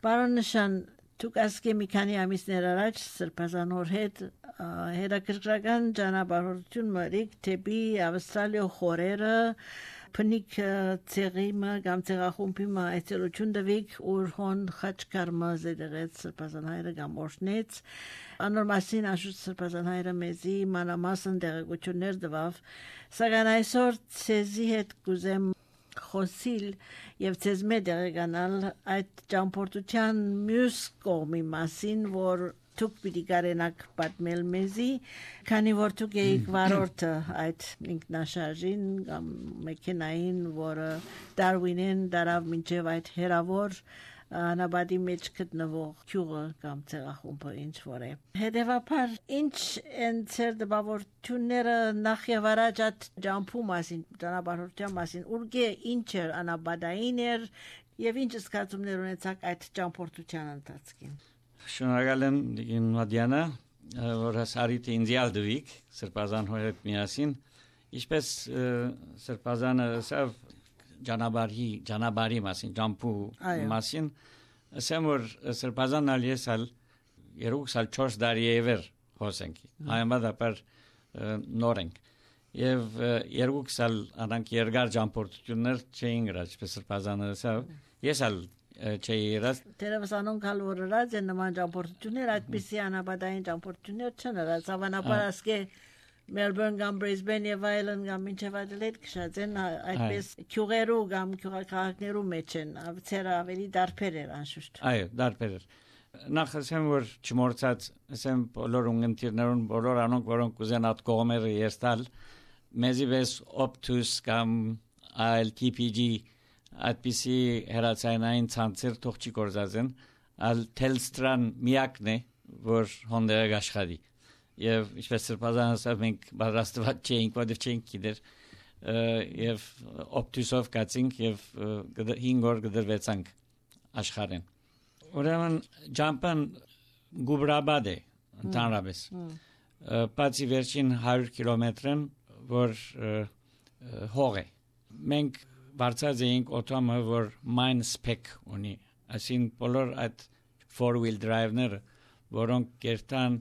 Պարոն Նշան, դուք ասկե մի քանի ամիսներ առաջ Սրբազանոր հետ հետաքրքրական ճանապարհորդություն մրիկ թեպի Ավստրալիա խորերը փնիկ ցեղիմը կամ ցեղախումբի այցելություն դվիկ ուրհոն խաչկարմա զերեղեց Սրբազանայրը կամ օրհնեց անորմասին աշուտ Սրբազանայրը մեզի մանամասն տեղեկություններ տվավ սակայն այսօր ցեզի հետ կուզեմ խոսիլ եւ ցեզ մեդերեգանալ այդ ճամփորդության մյուս կողմի մասին որ դուք պիտի կարենաք պատմել մեզի քանի որ դուք եք վարորդը այդ ինքնաշարժին կամ մեքենային որը Դարվինեն դարավ մինչև այդ հերավոր անաբադի մեջ գտնվող քյուղը կամ ցեղախումբը ինչ որ է հետևաբար ինչ են ցեր դպավորությունները նախ եւ առաջ այդ ջամփու մասին ճանապարհորդության մասին ուրգե ինչ էր անաբադային էր եւ ինչ զգացումներ ունեցաք այդ ճամփորդության ընթացքին Շնորհակալ եմ Դիգին Մադիանա որ հասարիթ ինձիալ դվիկ Սրբազան հորդ միասին ինչպես Սրբազանը սավ Ջանաբարի մասին ջամփու մասին ասեմ որ Սրբազանն ալիեսալ 2-4 տարի է վեր հոսենք հայմադապար նորենք եւ 2 սալ անանք երկար ջամփորդություններ չէին գրած ինչպես Սրբազանը ասավ ես ալ չէիրած դերևս անոնք հալորած են նման ճամփորդություններ այդպիսի անաբադային ճամփորդություններ չեն արած հավանաբար ասկե Melbourne կամ Brisbane եւ այլն կամ մինչեւ Adelaide քշած են այդպես քյուղերու կամ քյուղաքաղաքներու մեջ են ցերը ավելի դարբեր էր անշուշտ այո դարբեր էր նախ ասեմ որ չմորցած ասեմ բոլոր ունգընտիրներուն բոլոր անոնք որոնք կուզեն այդ կողմերը երստալ մեզի վես Optus կամ ILTPG այդպիսի հերացայնային ցանցեր թող չի կորզածեն ալ Telstra-ն միակն է որ հոնդերը աշխատի եւ ինչպես Սրբազանը ասավ մենք պատրաստված չէինք որովհետեւ չենք գիտեր եւ Optus-ով կացինք եւ 5 օր գդրվեցանք աշխարհեն ուրեմն ջամփան գուբրաբադ է ընդհանրապես բացի վերջին 100 կիլոմետրն որ հող է մենք բարձած էինք օտոմը որ mine spec ունի ասին բոլոր այդ 4-wheel drive-ները որոնք կերտան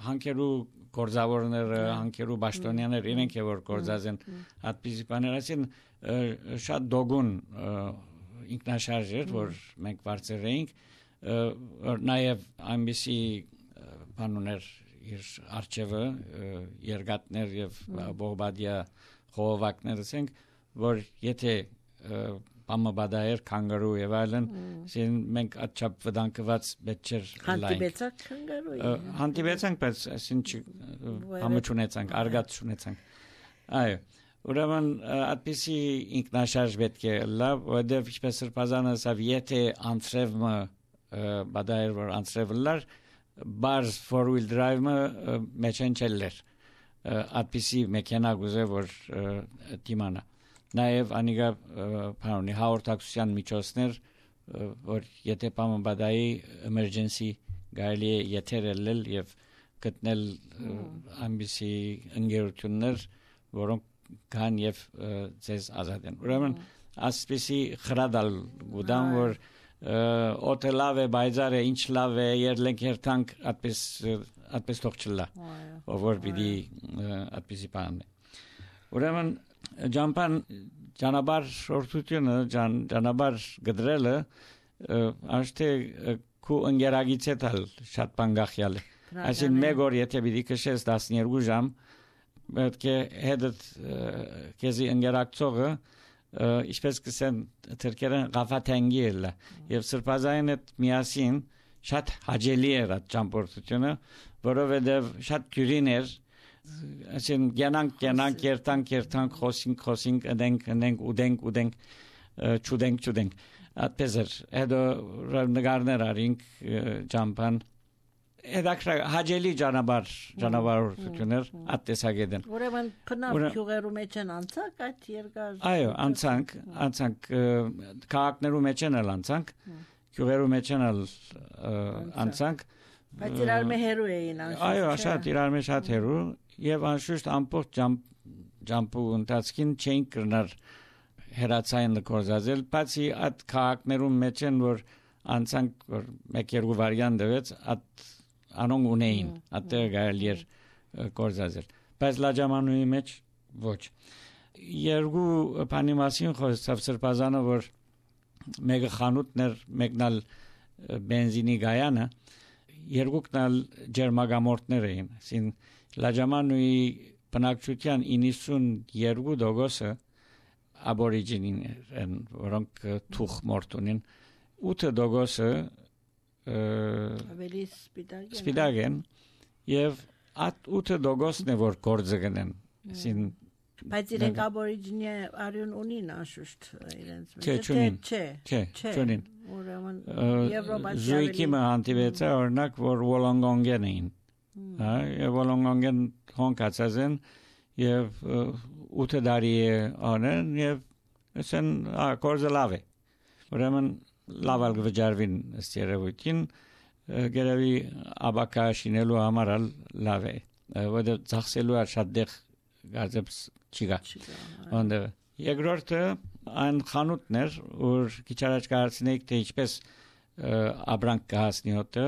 հանքերու կորզավորները հանքերու բաշտոնյաներ իրենք է որ կորզած են այդպիսի բաներ ասին շատ դոգուն ինքնաշարժ էր որ մենք բարձր էինք նաև այնպիսի բանուներ իր արչևը երգատներ եւ բողբադիա խողովակներ ասենք որ եթե Պամաբադայր կանգարու եւ այլն ասին մենք աչափ վտանգված բեչեր հանդիպեցանք կանգարուի հանդիպեցանք բայց ասին համաչունեցանք արգած չունեցանք այո ուրեմն այդպիսի ինքնաշարժ պետք է լավ որովհետեւ ինչպես Սրբազանը ասավ եթե անցրևը բադայր որ անցրևլար բարձ 4-wheel drive-ը մեջեն չելեր այդպիսի մեքենա գուզե որ դիմանա Նաև անիգա բանունի հաղորդակցության միջոցներ որ եթե Պամաբադայի emergency գալի է եթերել եւ գտնել ամբիսի ընկերություններ որոնք կան եւ ցեզ ազատ են ուրեմն ասպիսի խրադալ գուդան որ օտելավ է բայզար է ինչ լավ է երլենք երթանք այդպես թողչլա որ պիտի այդպիսի բան ուրեմն ջամփան ճանապարհ շորթությունը ճանապարհ գդրելը աշտե քու ընկերագից է տալ շատ բանգախյալ այսին մեկ օր եթե պիտի քշես 12 ժամ պետք է հետդ քեզի ընկերակցողը ինչպես կսեն թրքերեն գաֆաթենգի էլ եւ Սրբազային հետ միասին շատ հաջելի էր այդ ճամփորդությունը որովհետեւ շատ դյուրին էր ասեն գյանանք երթանք խոսինք ուդենք չուդենք այդպես էր հետո նգարներ արինք ջամփան Edakra haceli canavar attesageden. Ուրեմն փնավ քյուղերու մեջ են անցանք այդ երկար. Այո, անցանք քաղաքներու մեջ են անցանք. Քյուղերու մեջ են անցանք. Բայց իրար մե հերու էին անշուշտ. Այո, շատ իրար մե շատ հերու եւ անշուշտ ամբողջ ջամփու ընթացքին չենք կրնար հերացային կորզածել, բացի այդ քաղաքներու մեջ են որ անցանք որ մեկ-երկու վարյան դվեց անոնք ունեին այդտեղ գալի էր կորզածել բայց լաջամանուի մեջ ոչ երկու բանի մասին խոսավ սրբազանը որ մեկը խանութներ մեկնալ բենզինի գայանը երկուքն էլ ջերմագամորտներ էին ասին լաջամանուի բնակչության 92% աբորիջինին են որոնք թուխ մորտ ունին 8% ավելի սպիտակ են եւ at 8% է որ գործը գնեն ասին բայց իրենք աբորիջինի արյուն ունին անշուշտ իրենց չէ չունին ուրեմն եվրոպացի զույգի հանդիպեցա օրինակ որ Վոլոնգոնգեն էին եւ Վոլոնգոնգեն հոնկացած են եւ 8 տարի անեն եւ ասեն կորզը լավ է ուրեմն լավալ գվջարվին ստերևույթին գերավի աբակա շինելու համար լավ է որը ծախսելու է շատ դեղ գազებს չկա ոն데 երկրորդը այն խանութներ որ քիչ առաջ կարծնեիք թե ինչպես աբրանք կհասնի հոտը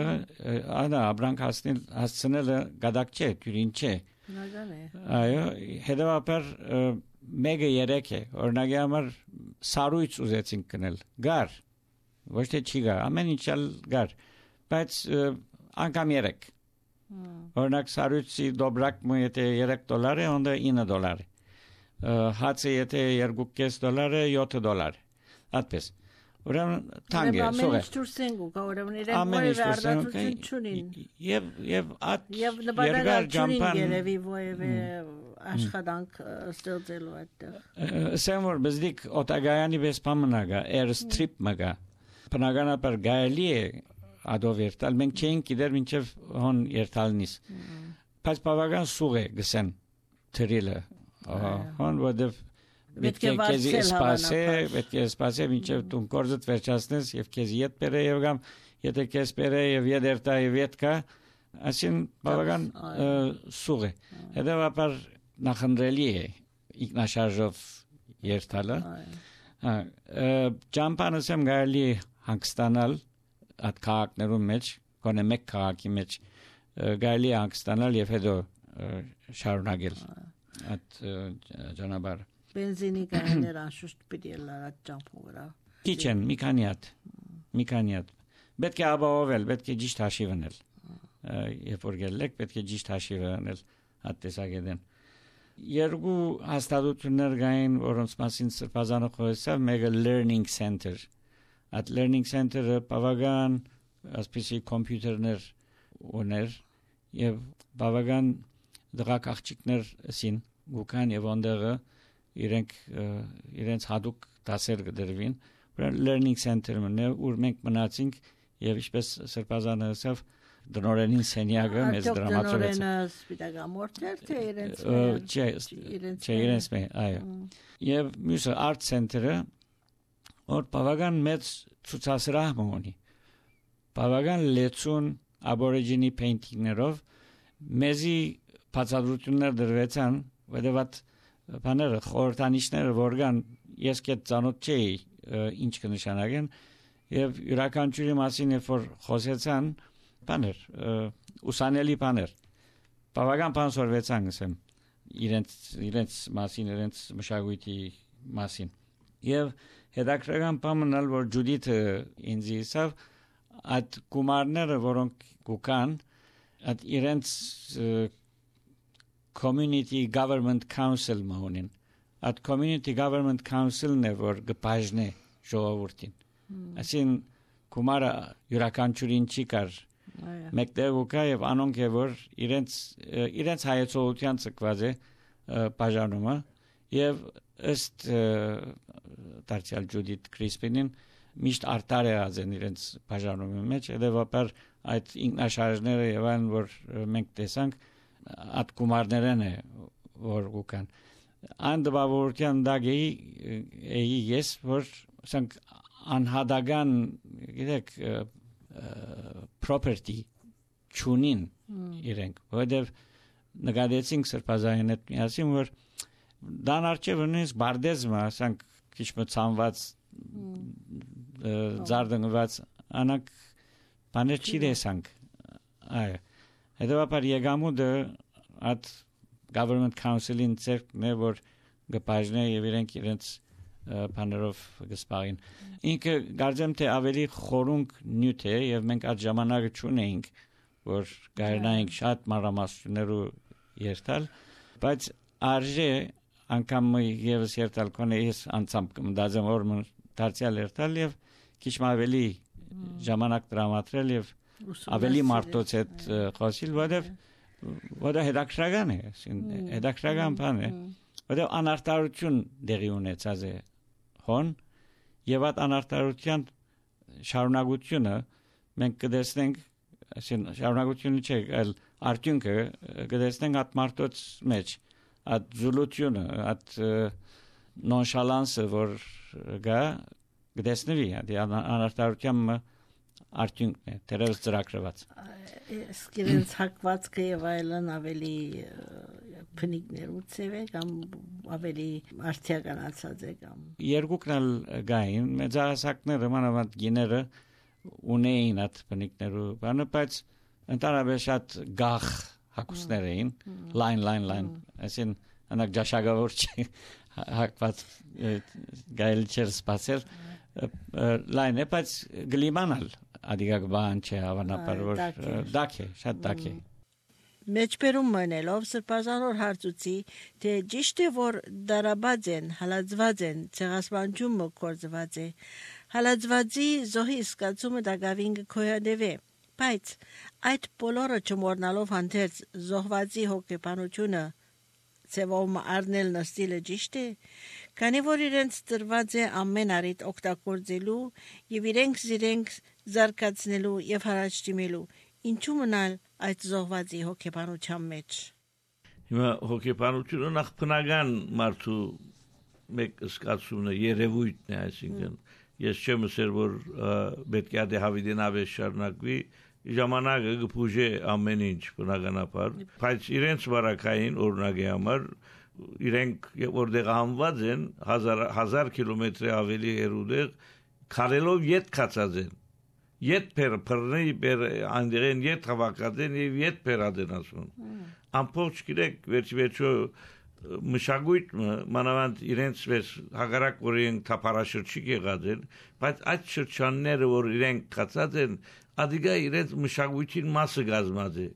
այլ աբրանք հասցնելը գադակ չէ դյուրին չէ այո հետևաբար մեկը երեք է օրինակի համար սարույց ուզեցինք կնել գար ոչ թե չի գար ամեն ինչ գար բայց անգամ երեք օրինակ սարույցի դոբրակը եթե $3 է onda $9 հացը եթե $2.5 է $7 այդպես ուրեմն թանկ է սողը ուրեմն իրենք որևէ արտադրություն չունին եւ նպատակ չունին երևի որևէ աշխատանք ստեղծելու այդտեղ սեմոր բզդիկ օտագայանի պես պամնագա airstrip մագա բնականաբար գալի է ադով երթալ մենք չենք գիտեր մինչև հոն երթալնից բայց բավական սուղ է գսեն թրիլը հոն որտեվ պետք է քեզի սպասե մինչև դու կորզդ վերջացնես եւ քեզի ետ բերե եւ գամ եթե քեզ բերե եւ եդերտա եւ ետկա ասին բավական սուղ է հետեւաբար նախընտրելի է ինքնաշարժով երթալը ճամփանսեմ գալի հանգստանալ at քաղաքներում մեջ կոնե մեկ քաղաքի մեջ գալի հանգստանալ եւ հետո շարունակել at ճանապարհ բենզինի կաներ անշուշտ պիտի լարած ճամփու վրա քիչեն մի քանի հատ պետք է ապահովել պետք է ճիշտ հաշիվ անել երբ որ գելեք պետք է ճիշտ հաշիվ անել հատ տեսակետեն երկու հաստատություններ կային որոնց մասին սրբազանը խոսավ մեկը learning center at learning center-ը բավական ասպիսի կոմպյուտերներ ուներ եւ բավական դրակ աղջիկներ ասին գուքան եւ ոնդերը իրենց հadoop դասեր կդրվին learning center-ը ուր մենք մնացինք եւ ինչպես սրբազանը ասավ դնորենին սենյակը մեծ դրամատուրգ սպիտակամորտեր թե իրենց այո եւ մյուսը art center-ը որ բավական մեծ ցուցասրահ ունի բավական լեցուն աբորիջինի painting-ներով մեզի բացատրություններ դրվեցան որովհետեւ բաները խորհրդանիշները որգան ես կետ ծանոթ չէի ինչ կնշանակեն եւ յուրաքանչյուրի մասին երբ որ խոսեցան բաներ ուսանելի բաներ բավական բան սորվեցան ասեմ իրենց մասին իրենց մշակույթի մասին եւ հետաքրքրական բանն ալ որ Ջուդիթը ինձ իսավ այդ գումարները որոնք գուքան այդ իրենց community government council մոնին at community government council-ն է որ գբաժնե ժողովրդին ասին գումարը յուրաքանչյուրին չի կար մեկտեղ ուկա եւ անոնք է որ իրենց հայեցողության ցկված է բաժանումը եւ ըստ դարձյալ Ջուդիթ Քրիսպինին միշտ արտար է ազեն իրենց բաժանումի մեջ հետեւաբար այդ ինքնաշարժները եւ այն որ մենք տեսանք at գումարներն է որ ուկան անդբավորության դագեի ես որ ասենք անհադական գիտեք property չունին իրենք որովհետև նկատեցինք սրբազանին հետ միասին որ դան արջևը նույնիսկ բարդեզմը ասենք քիչ մը ցանված զարդնված անակ բաներ չի դեսանք այ հետևաբար եկամուտը at government council-ին ցերկն է որ գպաժնե եւ իրենց բաներով գսպարին ինքը գարձեմ թե ավելի խորունկ նյութ է եւ մենք այդ ժամանակը չունեինք որ գարնայինք շատ մանրամասներու երթալ բայց արժե անգամ եւս երթալ կոնեիս անցամբ մտածեմ որ դարձյալ երթալ եւ քիչ ավելի ժամանակ տրամադրել եւ ավելի մարդոց հետ խոսիլ որը հետաքրքրական է հետաքրքրական բան է որը անարտարություն դեղի ունեցած է հոն եւ այդ անարտարության շարունակությունը մենք կդեսնենք շարունակությունը չէ այլ արդյունքը կդեսնենք այդ մարդոց մեջ այդ զուլությունը այդ նոնշալանսը որ գա կդեսնվի անարտարության արդյունքն է դերևս ծրագրված սկիրենց հակվածքը եւ այլն ավելի փնիկներուց է կամ ավելի արդիականացած է կամ երկուքն էլ գային մեծահասակները մանավանդ գիները ունեին այդ փնիկներու բանը բայց ընդհանրապես շատ գախ հակուսներ էին լայն այսին անակ ճաշակավոր չի հակված գայել չեր սպասել լայն է բայց գլիմանալ Adică bani ce հավանաբար որ դակ է շատ դակ է Մեջբերում մնելով սրբազանոր հարցուցի թե ճիշտ է որ դարաբաց են հալածված են ցեղասպանությունը կորզված է հալածվածի զոհի սկացումը դակավին կոյադեվե բայց այդ բոլորը չմոռնալով հանդերձ զոհվածի հոգեբանությունը ծևոմ առնել նստիլը ճիշտ է քանի որ իրենց տրված է ամեն առիթ օգտագործելու եւ իրենք զարգացնելու եւ հարաճ դիմելու ինչու մնալ այդ զոհվածի հոգեբանության մեջ հիմա հոգեբանությունը նախ բնական մարդու մեկ սկացումն է երևույթն է այսինքն ես չեմ ասել որ պետք է հավիդենավե շարունակվի ժամանակը գփուժե ամեն ինչ բնականաբար բայց իրենց վարակային օրինակի համար իրենք որտեղ համված են 1000 կիլոմետրի ավելի հեռուդեղ քարելով ետ կացած են ետ փռնի անդերեն ետ հավաքածեն եւ ետ փերադեն ասում ամբողջ գիրեք վերջիվերջո մշակույթը մանավանդ իրենց վեր հագարակ որ իրենք թափարաշրջիկ եղած են բայց այդ շրջանները որ իրենք կացած են Adică իրենց մշակույթին մասը գազմած է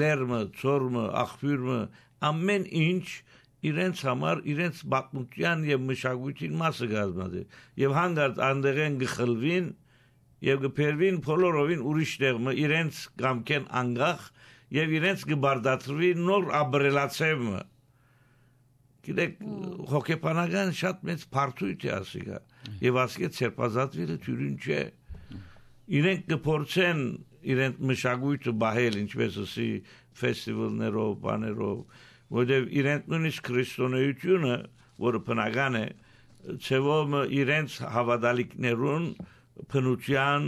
լերմը, ծորմը, աղբյուրը ամեն ինչ իրենց համար իրենց բացմության եւ մշակույթին մասը գազմած է եւ հանգարտ անդեղեն գխլվին եւ գփերվին բոլորովին ուրիշ տեղը իրենց կամքեն անգախ եւ իրենց գբարդացրվի նոր աբրելացեմը գիտեք հոգեբանական շատ մեծ բարդույթ է ասիկա եւ ասկե ցերպազատվելը թյուրին չէ իրենք կփորձեն իրենց մշակույթը բահել ինչպես ասի ֆեստիվալներով բաներով որտեղ իրենք նույնիսկ քրիստոնեությունը որը բնական է ցեվում իրենց հավատալիքներուն փնության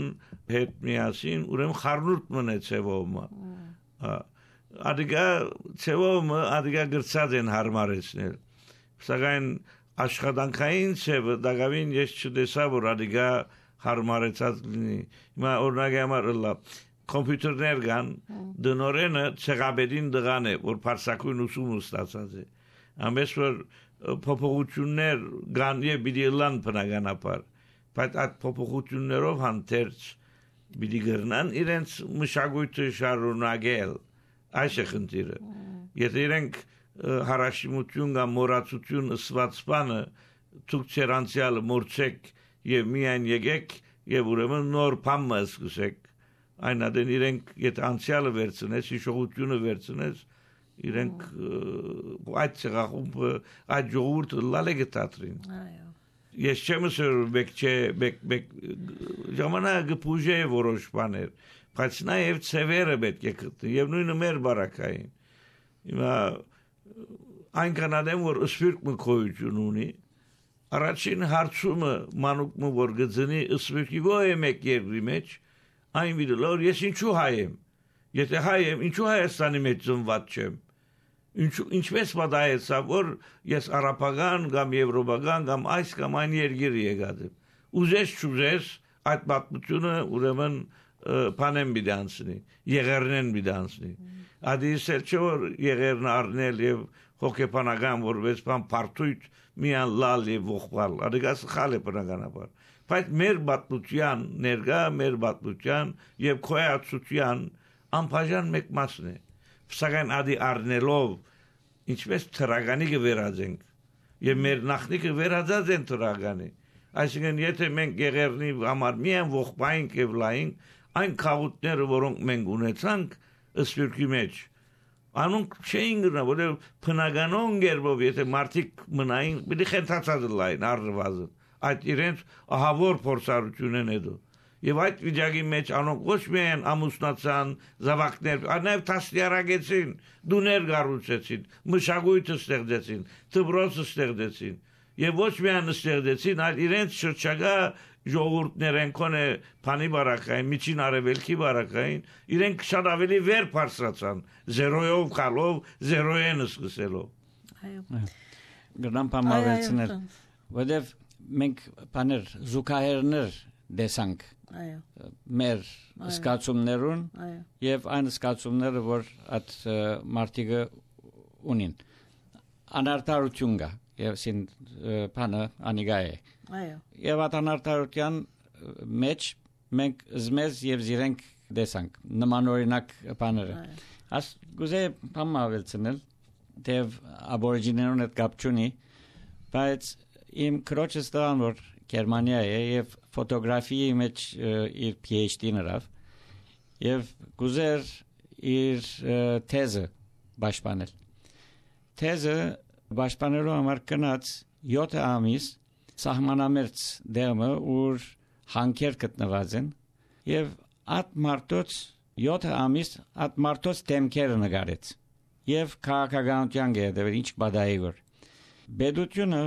հետ միասին ուրեմն խառնուրդ մնե ցեվում ադիգա ցեվում ադիգա գրծած են հարմարեցնել սակայն աշխատանքային ցևը դակավին ես չտեսա որ ադիգա հարմարեցած լինի հիմա օրինակի համար կոմպյուտերներ կան դնորենը ցեղաբերին դղան է որ փարսակույն ուսում ստացած է ամենից որ փոփոխություններ կան եւ պիտի լան բնականաբար բայց այդ փոփոխություններով հանդերձ պիտի գրնան իրենց մշակույթը շարունակել այս է խնդիրը եթե իրենք հարաշիմություն կամ մոռացություն ըսված բանը ցույց ցերանցիալ մորցեք եւ միայն եկեք եւ ուրեմն նոր բան սկսեք այն adın իրենք եթե անցյալը վերցնես հիշողությունը վերցնես իրենք այդ ցեղախումբը այդ ժողովուրդը լալեգ տատրին այո ես չեմ ասել բեք ժամանակը փուժե որոշ բաներ բայց նաեւ ծևերը պետք է գտնի եւ նույնը մեր բարակային հիմա այնքան adem որ սփյուռք մկոյություն ունի Առաջին հարցումը մանուկը որ գծնի ըսվեկի ոյ մեկ երկրի մեջ այն վիդելոր ես ինչու հայ եմ եթե հայ եմ ինչու Հայաստանի մեջ ծնված չեմ ինչպես մտածա որ ես արաբական կամ եվրոպական կամ այս կամ այն երկրի եկած եմ ուզես չուզես այդ պատմությունը ուրեմն բանեն բիդանցնի եղերնեն բիդանցնի ադիսել չէ որ եղերն առնել եւ հոգեբանական որպես բան պարտույտ միան լալ եւ ողբալ ադիգաս խալ է բնականաբար բայց մեր պատմության ներգա մեր պատմության եւ քոյացության անբաժան մեկ մասն է սակայն ադի առնելով ինչպես թրագանի կվերածենք եւ մեր նախնիկը վերածած են թրագանի այսինքն եթե մենք եղերնի համար միայն ողբայինք եւ լայինք այն խաղուտները որոնք մենք ունեցանք սփյուռքի մեջ անոնք չէին գնա որը բնականon գերբով եթե մարդիկ մնային պիտի խենթացած լայն առնվազն այդ իրենց ահավոր փորձառություն են հետո եւ այդ վիճակի մեջ անոնք ոչ միայն ամուսնացան զավակներ այլև տասնյարակեցին դուներ գառուցեցին մշակույթը ստեղծեցին դպրոցը ստեղծեցին եւ ոչ միայն ստեղծեցին այլ իրենց շրջակա ժողովուրդներեն կոնե փանի բարակային միջին արևելքի բարակային իրենք շատ ավելի վեր բարձրացան զերոյով խալով զերոյեն սկսելով այո գնամ պամավեցնել որտեվ մենք բաներ զուգահեռներ դեսանք այո մեր սկացումներուն եւ այն սկացումները որ այդ մարտիկը ունին անարտարություն կա եւ սին բանը անիգա է այո եւ այդ անարտարության մեջ մենք զմեզ եւ զիրենք դեսանք նմանօրինակ բաները աս գուզե պամավեցնել դեվ աբորիջիներուն հետ կապ չունի բայց իմ քրոջս դան որ Գերմանիա է եւ ֆոտոգրաֆիայի մեջ իր PhD-ն արավ եւ գուզեր իր թեզը պաշտպանել թեզը պաշտպանելու համար կնած 7 ամիս սահմանամերձ դերմը ուր հանքեր գտնված են եւ այդ մարտոց 7 ամիս այդ մարտոց դեմքերը նկարեց եւ քաղաքականության գեդեր ինչ բադայի գոր բեդությունը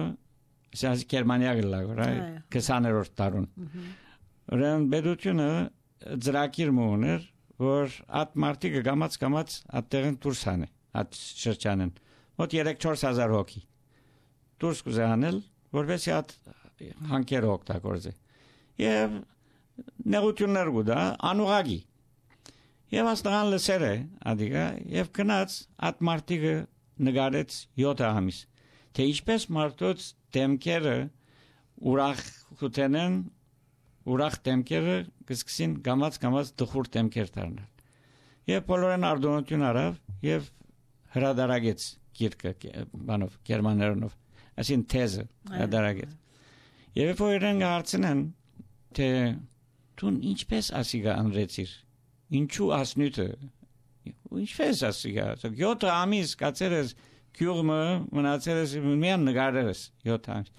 սա Գերմանիա գլագոր 20-րդ տարուն ուրեմն բեդությունը ծրագիր մոներ որ այդ մարտիկը գամած այդտեղն դուրս հանե այդ շրջանեն մոտ 3-4 հոգի դուրս կուզանել որովհետեւ այդ հանքերը օգտագործե եւ նեղություններ գուտա անուղագի եւ աստղան լսեր է ադիգա եւ գնաց այդ մարտիկը նկարեց 7 ամիս թե ինչպես մարտոց դեմքերը ուրախ խութենեն ուրախ դեմքերը կսկսին գամած դխուր դեմքեր դառնալ եւ բոլորեն արդյունություն արավ եւ հրադարագեց գիրքը բանով գերմաներենով ասին թեզը հրադարագեց եւ որեն հարցնեն թե դու ինչպես ասիգա անրեցիր ինչու ասնյութը ինչպես ասիգա 7 ամիս կացերես քյուրմը մնացերես միան նկարերս 7 ամիս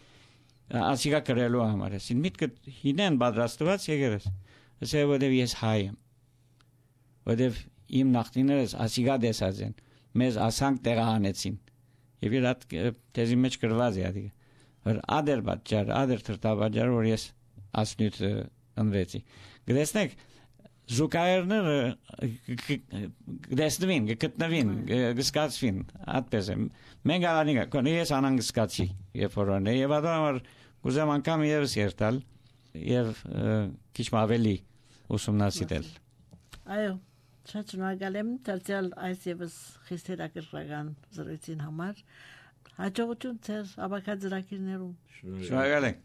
ասիգա կրելու համար ասին միտքը հինեն պատրաստված եկերես ասե որտեվ ես հայ եմ որտեվ իմ նախնիներս ասիգա դեսած են մեզ ասանք տեղահանեցին եւ իր այդ թեզի մեջ գրված է ադիգա որ ադեր պատճառ ադեր թրտաբաջար որ ես ասնյութ ընրեցի գտեսնեք զուգահեռները գտեսնվին գտնվին գսկացվին այդպես է մենք անիկա կոնի ես անանգսկացի երբ որ անե եւ ադամար կուզեմ անգամ եւս երթալ եւ քիչ ավելի ուսումնասիրել այո շատ շնորհակալ եմ դարձյալ այս եւս խիստ հետաքրքրական զրույցին համար հաջողություն ձեր ավակաձրակիրներում շնորհակալ եմ